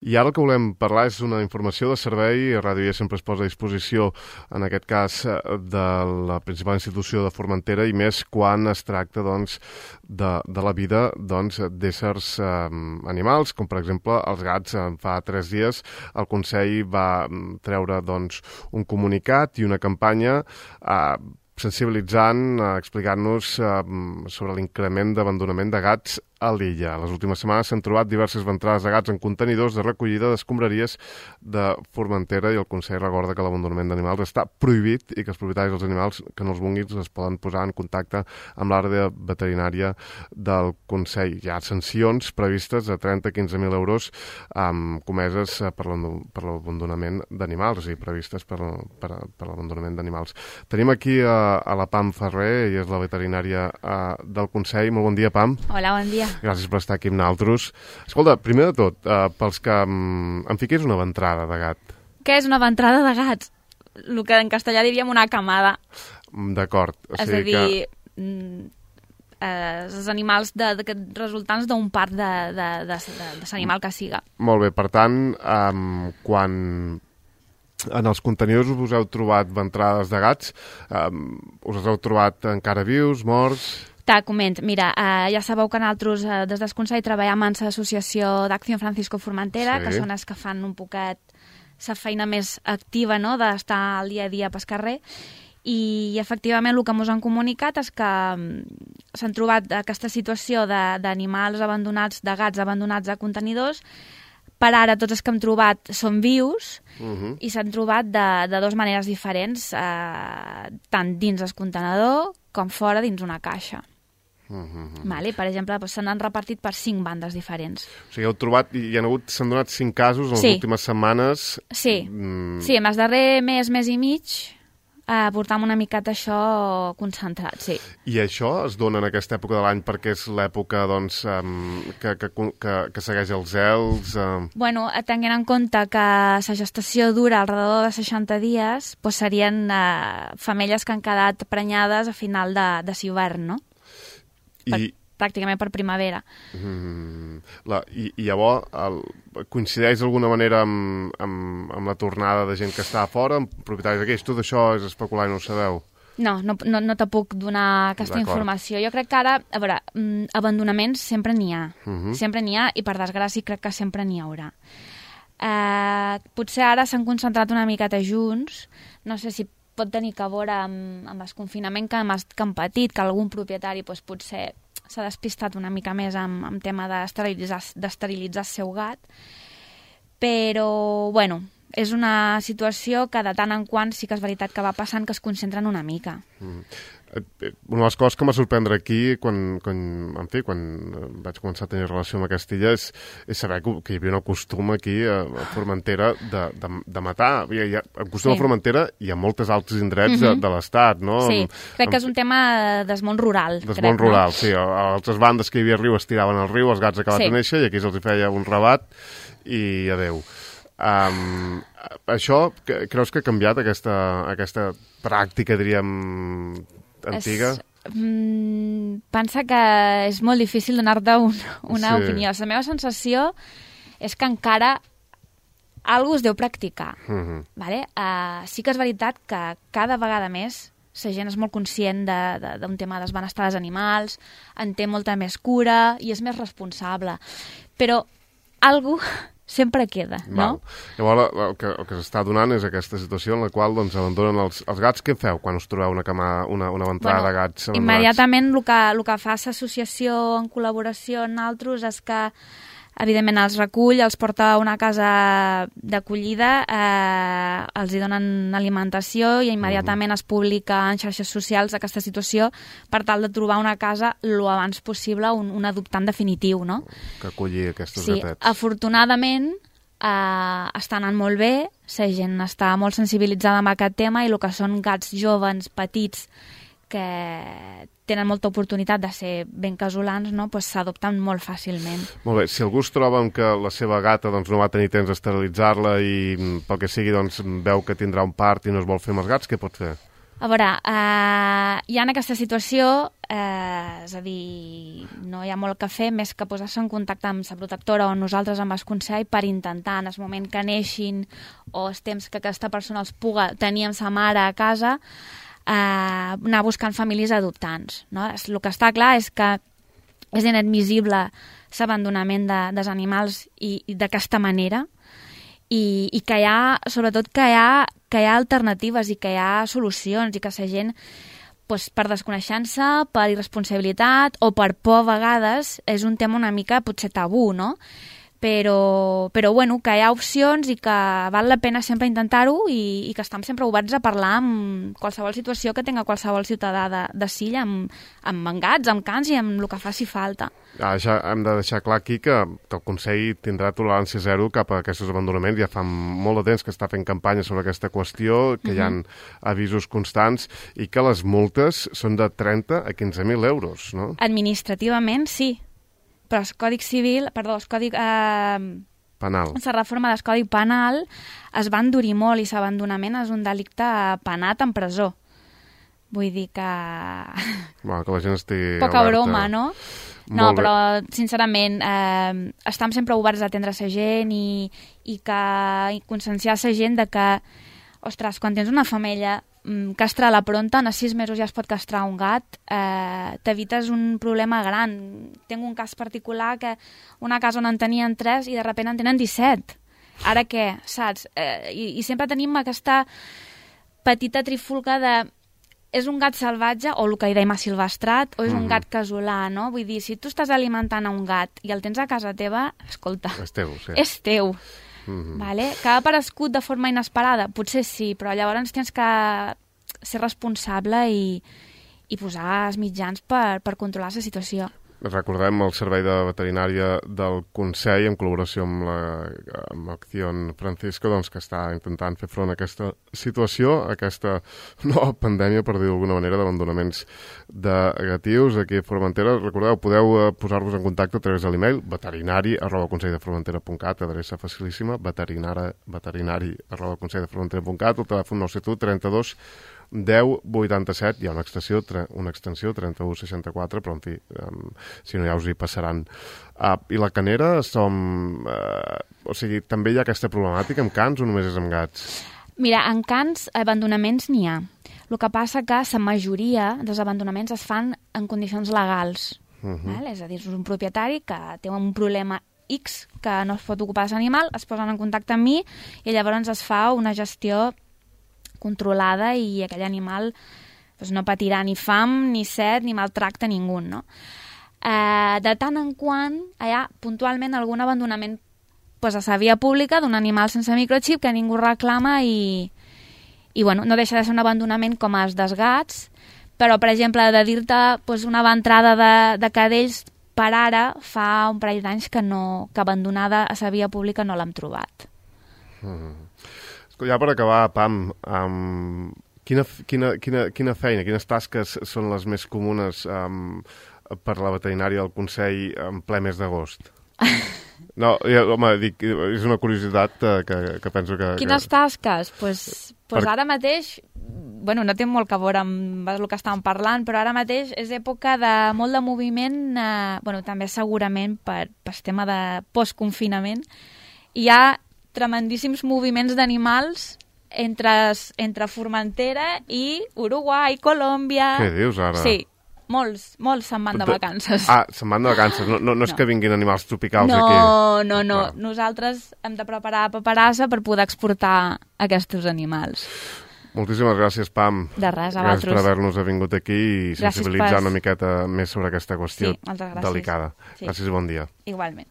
I ara el que volem parlar és una informació de servei. Ràdio Ja sempre es posa a disposició, en aquest cas, de la principal institució de Formentera, i més quan es tracta de la vida d'éssers animals, com per exemple els gats. Fa 3 dies el Consell va treure un comunicat i una campanya sensibilitzant, explicant-nos sobre l'increment d'abandonament de gats a l'illa. Les últimes setmanes s'han trobat diverses ventrades de gats en contenidors de recollida d'escombraries de Formentera, i el Consell recorda que l'abandonament d'animals està prohibit i que els propietaris dels animals que no els vulguin es poden posar en contacte amb l'àrea veterinària del Consell. Hi ha sancions previstes de 30-15.000 euros comeses per l'abandonament d'animals, o sigui, previstes per l'abandonament d'animals. Tenim aquí a la Pam Ferrer, ella és la veterinària del Consell. Molt bon dia, Pam. Hola, bon dia. Gràcies per estar aquí amb nosaltres. Escolta, primer de tot, pels que em fiqués una ventrada de gat. Què és una ventrada de gats? El que en castellà diríem una camada. D'acord. És a dir, els animals resultants d'un part de l'animal que siga. Molt bé, per tant, quan en els contenidors us heu trobat ventrades de gats, us heu trobat encara vius, morts? Te comento, mira, ja sabeu que nosaltres des del Consell treballem en l'associació d'Acció Francisco Formentera, sí, que són els que fan un poquet la feina més activa, no?, d'estar al dia a dia pel carrer, i efectivament el que ens han comunicat és que s'han trobat aquesta situació d'animals abandonats, de gats abandonats a contenidors. Per ara tots els que hem trobat són vius, i s'han trobat de dues maneres diferents, tant dins el contenidor com fora dins una caixa. Vale? Per exemple, se n'han repartit per 5 bandes diferents. O sigui, heu trobat, s'han donat 5 casos en les últimes setmanes. Sí, sí, en el darrer mes i mig portam una miqueta això concentrat, sí. I això es dona en aquesta època de l'any perquè és l'època que segueix els zel? Bueno, tenint en compte que la gestació dura alrededor de 60 dies, doncs serien femelles que han quedat prenyades a final de l'hivern, no? Pràcticament per primavera. I llavors coincideix d'alguna manera amb la tornada de gent que està a fora, amb propietaris d'aquells? Tot això és especular i no ho sabeu? No te puc donar aquesta informació. Jo crec que ara, a veure, abandonaments sempre n'hi ha. Sempre n'hi ha, i per desgràcia crec que sempre n'hi haurà. Potser ara s'han concentrat una miqueta junts, no sé si pot tenir a veure amb el confinament que han patit, que algun propietari potser s'ha despistat una mica més amb tema d'esterilitzar el seu gat, però, bueno, és una situació que de tant en quant sí que és veritat que va passant, que es concentren una mica. Una de les coses que m'ha sorprendre aquí, quan vaig començar a tenir relació amb aquesta illa, és saber que hi havia un costum aquí a Formentera de matar. El costum a Formentera hi ha moltes altres indrets de l'Estat, no? Sí, crec que és un tema del món rural. Del món rural, sí. A altres bandes que hi havia riu es tiraven al riu, els gats acabat de néixer, i aquí se'ls feia un rabat i adeu. Això, creus que ha canviat aquesta pràctica, diríem, antiga? Pensa que és molt difícil donar-te una opinió. La meva sensació és que encara algú es deu practicar. Vale? Sí que és veritat que cada vegada més la gent és molt conscient d'un tema del benestar dels animals, en té molta més cura i és més responsable. Però algú sempre queda, no? Llavors, el que s'està donant és aquesta situació en la qual abandonen els gats. Què feu quan us trobeu una ventrada de gats abandonats? Immediatament el que fa l'associació en col·laboració amb altres és que, evidentment, els recull, els porta a una casa d'acollida, els hi donen alimentació i immediatament es publica en xarxes socials aquesta situació per tal de trobar una casa el abans possible, un adoptant definitiu, no? Que acolli aquests gatets. Sí, afortunadament està anant molt bé, la gent està molt sensibilitzada amb aquest tema, i el que són gats joves, petits, que tenen molta oportunitat de ser ben casolans, no? S'adopten molt fàcilment. Molt bé, si algú es troba amb que la seva gata no va tenir temps d'esterilitzar-la i pel que sigui veu que tindrà un part i no es vol fer amb els gats, què pot fer? A veure, hi ha en aquesta situació, és a dir, no hi ha molt que fer més que posar-se en contacte amb la protectora o nosaltres amb el Consell per intentar, en el moment que neixin o el temps que aquesta persona els puga tenir amb sa mare a casa, anar buscant famílies adoptants. No? El que està clar és que és inadmissible l'abandonament dels animals i d'aquesta manera, i que hi ha, sobretot, que hi ha alternatives i que hi ha solucions i que la gent, doncs, per desconeixença, per irresponsabilitat o per por a vegades, és un tema una mica potser tabú, no? Però bueno, que hi ha opcions i que val la pena sempre intentar-ho i que estem sempre oberts a parlar amb qualsevol situació que tinga qualsevol ciutadà de Silla, amb gats, amb cans i amb el que faci falta. Ja hem de deixar clar aquí que el Consell tindrà tolerància zero cap a aquests abandonaments. Ja fa molt de temps que està fent campanya sobre aquesta qüestió, que hi ha avisos constants i que les multes són de 30 a 15.000 euros, no? Administrativament, sí. Però el Codi Civil, perdó, el Codi... penal. La reforma del Codi Penal es va endurir molt i l'abandonament és un delicte penat en presó. Vull dir que... Bueno, que la gent estigui poca alerta. broma, no? No, però, sincerament, estem sempre oberts a atendre la gent i conscienciar la gent de que, ostres, quan tens una femella castrar la pronta, en 6 mesos ja es pot castrar un gat, t'evites un problema gran. Tinc un cas particular que una casa on en tenien 3 i de sobte en tenen 17. Ara què, saps? I sempre tenim aquesta petita trifulca de és un gat salvatge o el que hi dèiem silvestrat o és un gat casolà, no? Vull dir, si tu estàs alimentant a un gat i el tens a casa teva, escolta, és teu, sí. És teu. Vale? Que ha aparegut de forma inesperada? Potser sí, però llavors tens que ser responsable i posar els mitjans per controlar la situació. Recordem el Servei de Veterinària del Consell, en col·laboració amb Acció Francisco, doncs, que està intentant fer front a aquesta situació, a aquesta nova pandèmia, per dir d'alguna manera, d'abandonaments de gatius aquí a Formentera. Recordeu, podeu posar-vos en contacte a través de l'email veterinari@conselldeformentera.cat, adreça facilíssima, veterinari@conselldeformentera.cat, el telèfon 971 32 10 87, hi ha una extensió 3164, però en fi, si no ja us hi passaran. I la Canera o sigui, també hi ha aquesta problemàtica amb cans o només és amb gats? Mira, en cans abandonaments n'hi ha. El que passa que la majoria dels abandonaments es fan en condicions legals. És a dir, és un propietari que té un problema X que no es pot ocupar de l'animal, es posen en contacte amb mi i llavors es fa una gestió controlada i aquell animal doncs, no patirà ni fam, ni set, ni maltracte ningú, no? De tant en quant hi ha puntualment algun abandonament doncs, a la via pública d'un animal sense microxip que ningú reclama i bueno, no deixa de ser un abandonament com els dels gats, però, per exemple, de dir-te doncs, una ventrada de cadells per ara fa un parell d'anys que abandonada a la via pública no l'hem trobat. Ja per acabar, Pam, quina feina, quines tasques són les més comunes per la veterinària del Consell en ple mes d'agost? No, home, dic, és una curiositat que penso que... Quines tasques? Pues ara mateix, bueno, no té molt que veure amb el que estàvem parlant, però ara mateix és època de molt de moviment, bueno, també segurament per tema de postconfinament. Hi ha tremendíssims moviments d'animals entre Formentera i Uruguai, Colòmbia... Què dius ara? Sí, molts se'n van de vacances. Se'n van de vacances, no és que vinguin animals tropicals aquí. No. Nosaltres hem de preparar paperassa per poder exportar aquests animals. Moltíssimes gràcies, Pam. De res, a vosaltres. Gràcies per vosaltres. haver-nos vingut aquí i sensibilitzar una miqueta més sobre aquesta qüestió Sí, moltes gràcies. delicada. Sí. Gràcies i bon dia. Igualment.